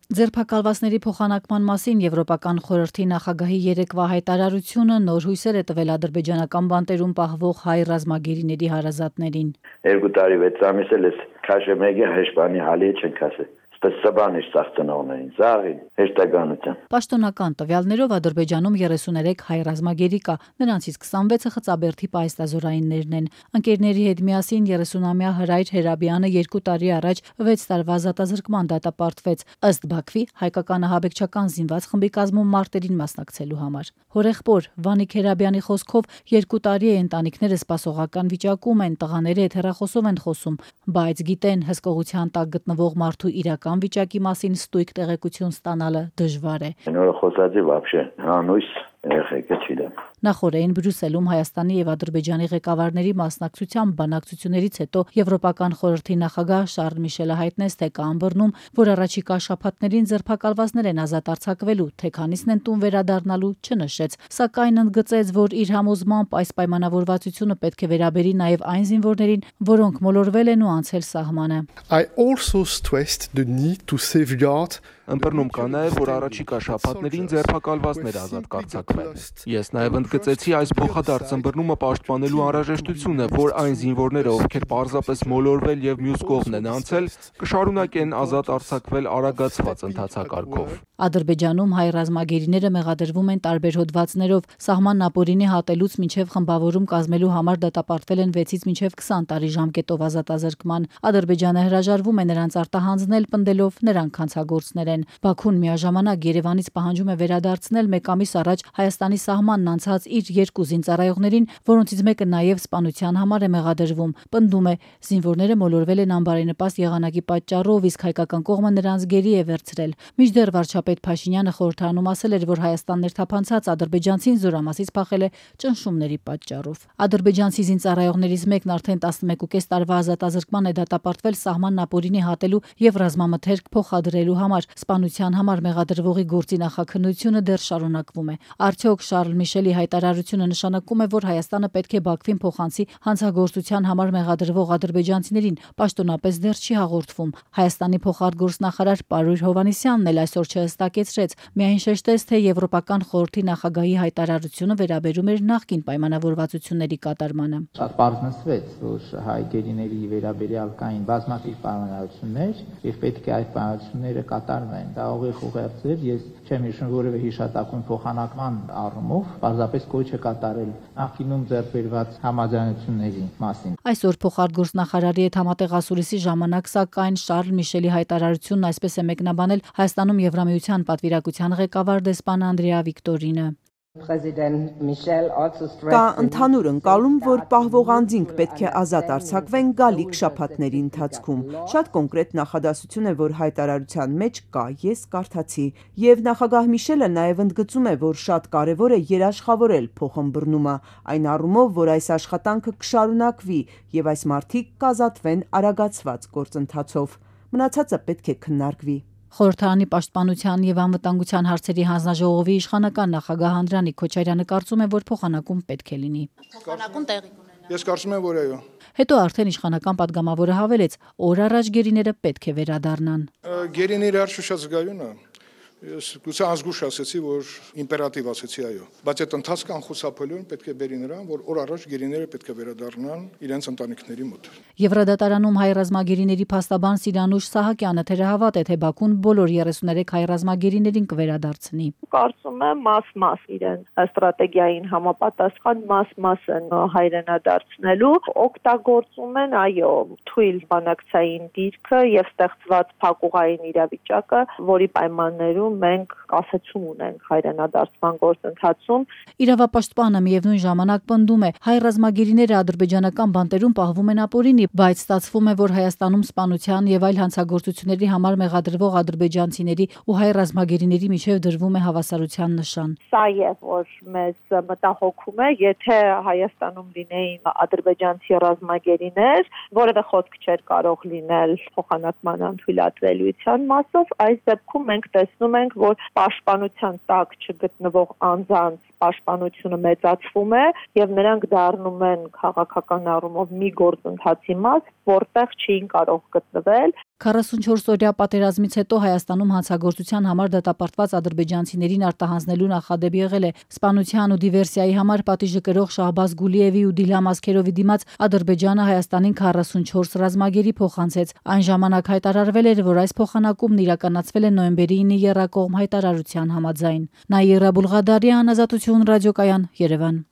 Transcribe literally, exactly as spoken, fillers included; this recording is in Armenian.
Ձերբակալվածների փոխանակման մասին Եվրոպական խորհրդի նախագահի երեկվա հայտարարությունը նոր հույսեր է տվել ադրբեջանական բանտերում պահվող հայ ռազմագերիների հարազատներին։ Երկու տարի վեց ամիս էլ ես քաշեմեգի հեշպանի հալի չենք ասել։ Ստեսաբանիշ ծախծնողներին, զաղին, հեշտականության։ Պաշտոնական տվյալներով Ադրբեջանում երեսուներեք հայ ռազմագերի կա, նրանցից քսանվեցը Խծաբերդի պայստազորայիններն են։ Ընկերների հետ միասին երեսունամյա Հրայր Հերաբյանը երկու տարի առաջ վեց տարվա ազատազրկման դատապարտվեց, ըստ Բաքվի հայկական ահաբեկչական զինված խմբի կազմում մարտերին մասնակցելու համար։ Հորեղբոր Վանիկ Հերաբյանի խոսքով երկու տարի է ընտանիքները սպասողական վիճակում են, տղաները հետ հեռախոսով են խոսում, բայց գիտեն հսկողության տակ գտնվող մարդու իրական վիճակի մասին ստույգ տեղեկություն ստանալը դժվար է։ Նորը խոսածի вообще հանույս երեխեքը չիդեմ։ Նախորդին Բրյուսելում Հայաստանի եւ Ադրբեջանի ղեկավարների մասնակցությամբ բանակցություններից հետո Եվրոպական խորհրդի նախագահ Շարլ Միշելը հայտնեց, թե կա ըմբռնում, որ առաջիկա շաբաթներին ձերբակալվածներ են ազատ արձակվելու, թե քանիսն են տուն վերադառնալու, չնշեց, սակայն ընդգծեց, որ իր համոզմամբ այս պայմանավորվածությունը պետք է վերաբերի նաեւ այն զինվորներին, որոնք մոլորվել են ու անցել սահմանը։ I also stressed the need to safeguard Ըմբռնում կա նաև, որ առաջիկա շաբաթներին ձերբակալվածներ ազատ կարձակվեն։ Ես նաև ընդգծեցի այս փոխադարձ ըմբռնումը պաշտպանելու անհրաժեշտությունը, որ այն զինվորները, ովքեր պարզապես մոլորվել եւ մյուս կողմն են անցել, կշարունակեն ազատ արձակվել արագացված ընթացակարգով։ Ադրբեջանում հայ ռազմագերիները մեղադրվում են տարբեր հոդվածներով, սահմանն ապօրինի հատելուց մինչև խմբավորում կազմելու համար դատապարտվել են վեցից մինչև քսան տարի ժամկետով ազատազրկման։ Ադրբեջանը հրաժարվում է նրանց արտահանձնել, պնդելով նրանք հանցագործներ են։ Բաքուն միաժամանակ Երևանից պահանջում է վերադարձնել մեկ ամիս առաջ Հայաստանի սահմանն անցած իր երկու զինծառայողներին, որոնցից մեկը նաև սպանության համար է մեղադրվում։ Պնդում է, զինվորները մոլորվել են անբարենպաստ եղանակի պատճառով, իսկ հայկական կողմը նրանց գերի է վերցրել։ Մինչդեռ վարչապետ Փաշինյանը խորհրդարանում ասել էր, որ Հայաստան ներթափանցած ադրբեջանցին զորամասից փախել է ճնշումների պատճառով։ Ադրբեջանցի զինծառայողներից մեկն արդեն տասնմեկուկես տարվա ազատազրկման է դատապարտվել սահմանն ապօրինի հատելու եւ ռազմամթերք փոխադրելու համար։ Սպանության համար մեղադրվողի գործի նախաքննությունը դեռ շարունակվում է։ Արդյոք Շարլ Միշելի հայտարարությունը նշանակում է, որ Հայաստանը պետք է Բաքվին փոխանցի հանցագործության համար մեղադրվող ադրբեջանցիներին, պաշտոնապես դեռ չի հաղորդվում։ Հայաստանի փոխարտգործնախարար Պարույր Հովհաննիսյանն էլ այսօր չհստակեցրեց, միայն շեշտեց, թե Եվրոպական խորհրդի նախագահի հայտարարությունը վերաբերում էր նախկին պայմանավորվածությունների կատարմանը։ Շատ պարզ նշվեց, որ հայ գերիների վերաբերյալ կային բազմաթիվ պայմանավորություններ եւ պետք է այդ պայմանավորությունները կատարվեն։ Դա ուղիղ ուղերձեր, ես չեմ հիշում որևէ հիշատակում փոխանակման առումով, պարզապես կոչ է կատարել նախկինում ձեռք բերված համաձայնությունների մասին։ Այսօր փոխարտգործնախարարի հետ համատեղ ասուլիսի ժամանակ, սակայն Շարլ Միշելի հայտարարությունն այսպես է մեկնաբանել Հայաստանում Եվրամիության պատվիրակության ղեկավար դեսպան Անդրեա Վիկտորինը։ Կա ընդհանուր ընկալում, որ պահվող անձինք պետք է ազատ արձակվեն գալիք շաբաթների ընթացքում։ Շատ կոնկրետ նախադասություն է, որ հայտարարության մեջ կա, ես կարդացի, եւ նախագահ Միշելը նաեւ ընդգծում է, որ շատ կարեւոր է երաշխավորել փոխըմբռնումը, այն առումով, որ այս աշխատանքը կշարունակվի եւ այս մարդիկ կազատվեն արագացված գործընթացով։ Մնացածը պետք է քննարկվի։ Խորհրդարանի պաշտպանության եւ անվտանգության հարցերի հանձնաժողովի իշխանական նախագահ Անդրանիկ Քոչարյանը կարծում է, որ փոխանակում պետք է լինի։ Փոխանակում տեղի կունենա։ Ես կարծում եմ, որ այո։ Հետո արդեն իշխանական падգամավորը հավելեց, օր առաջ գերիները պետք է վերադառնան։ Գերիները արշուշած գայունը Ես գուցե ազգուշ ասեցի, որ իմպերատիվ ասեցի այո, բայց այդ ընթացքը անխուսափելիորեն պետք է բերի նրան, որ օր առաջ գերիները պետք է վերադառնան իրենց ընտանիքների մոտ։ Եվրադատարանում հայ ռազմագերիների փաստաբան Սիրանուշ Սահակյանը թերահավատ է, թե Բաքուն բոլոր երեսուներեք հայ ռազմագերիներին կվերադարձնի։ Կարծում եմ մաս-մաս իրեն ստրատեգիային համապատասխան մաս-մաս են հայրենադարձնելու, օգտագործում են այո թույլ բանակցային դիրքը եւ ստեղծված փակուղային իրավիճակը, որի պայմաններում մենք կասեցում ունենք հայրենադարձման գործընթացում։ Իրավապաշտպանը միևնույն ժամանակ պնդում է, հայ ռազմագերիները ադրբեջանական բանտերում պահվում են ապօրինի, բայց ստացվում է, որ Հայաստանում սպանության եւ այլ հանցագործությունների համար մեղադրվող ադրբեջանցիների ու հայ ռազմագերիների միջև դրվում է հավասարության նշան։ Սա է, որ մեզ մտահոգում է, եթե Հայաստանում լինեին ադրբեջանցի ռազմագերիներ, որևէ խոսք չէր կարող լինել փոխանակման անթույլատրելիության մասով, այս դեպքում մենք տեսնում ենք, որ պաշտպանության տակ չգտնվող անձանց պաշտպանությունը մեծացվում է եւ նրանք դառնում են քաղաքական առումով մի գործընթացի մաս, որտեղ չէին կարող գտնվել։ քառասունչորս-օրյա պատերազմից հետո Հայաստանում հանցագործության համար դատապարտված ադրբեջանցիներին արտահանձնելու նախադեպ եղել է։ Սպանության ու դիվերսիայի համար պատիժը կրող Շահբազ Գուլիևի ու Դիլհամ Ասքերովի դիմաց Ադրբեջանը Հայաստանին քառասունչորս ռազմագերի փոխանցեց։ Այն ժամանակ հայտարարվել էր, որ այս փոխանակումն իրականացվել է նոյեմբերի ինը եռակողմ հայտարարության համաձայն։ Նաիրա Բուլղադարյան, Ազատություն ռադիոկայան, Երևան։